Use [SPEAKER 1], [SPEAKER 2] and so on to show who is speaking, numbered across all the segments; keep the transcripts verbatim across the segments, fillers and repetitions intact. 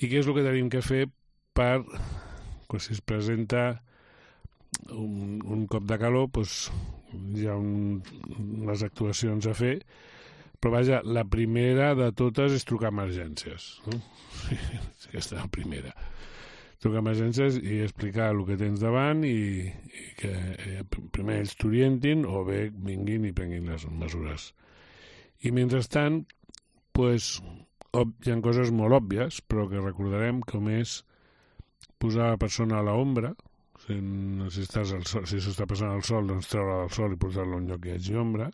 [SPEAKER 1] I què és el que tenim que fer per, quan si es presenta un, un cop de calor, doncs hi ha un, unes actuacions a fer, però vaja, la primera de totes és trucar a emergències, no? Aquesta és la primera. Trucar a emergències i explicar el que tens davant i, i que eh, primer ells t'orientin o bé vinguin i prenguin les mesures. I mentrestant, pues, hi ha coses molt òbvies, però que recordarem, com és posar la persona a l'ombra, si, si, estàs al sol, si s'està passant al sol, doncs treure del sol i posar-lo en lloc que hi hagi ombra,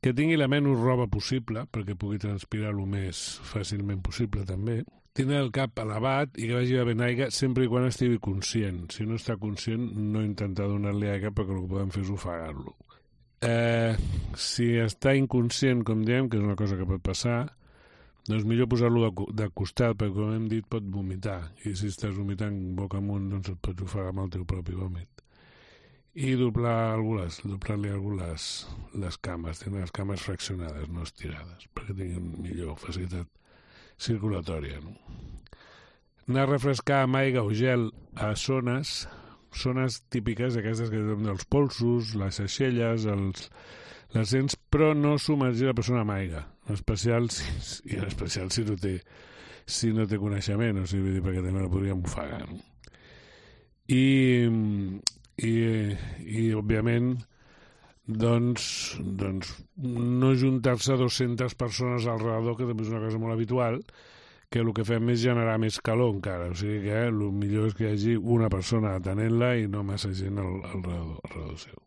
[SPEAKER 1] que tingui la menys roba possible, perquè pugui transpirar el més fàcilment possible també, tindre el cap elevat i que vagi bevent aigua sempre i quan estigui conscient. Si no està conscient, no intentar donar-li aigua perquè el que podem fer és ofegar-lo. Eh, si està inconscient, com diem, que és una cosa que pot passar, doncs millor posar-lo de, de costat, perquè com hem dit pot vomitar, i si estàs vomitant boca amunt doncs et pots ofegar amb el teu propi vòmit. I doblar les, doblar-li algú les, les cames, tenir les cames fraccionades, no estirades, perquè tinguin millor facilitat circulatòria. No? Anar a refrescar amb aigua o gel a zones, zones típiques d'aquestes que tenen els polsos, les aixelles, els, les dents, però no submergir la persona amb aigua, en especial si, i en especial si no té, si no té coneixement, o sigui, perquè també la podríem ofegar. No? I, i, i òbviament, doncs, doncs no juntar-se dues-centes persones al redador, que també és una cosa molt habitual, que el que fem és generar més calor encara, o sigui que el millor és que hi hagi una persona atenent-la i no massa gent al, al redador, al redador seu.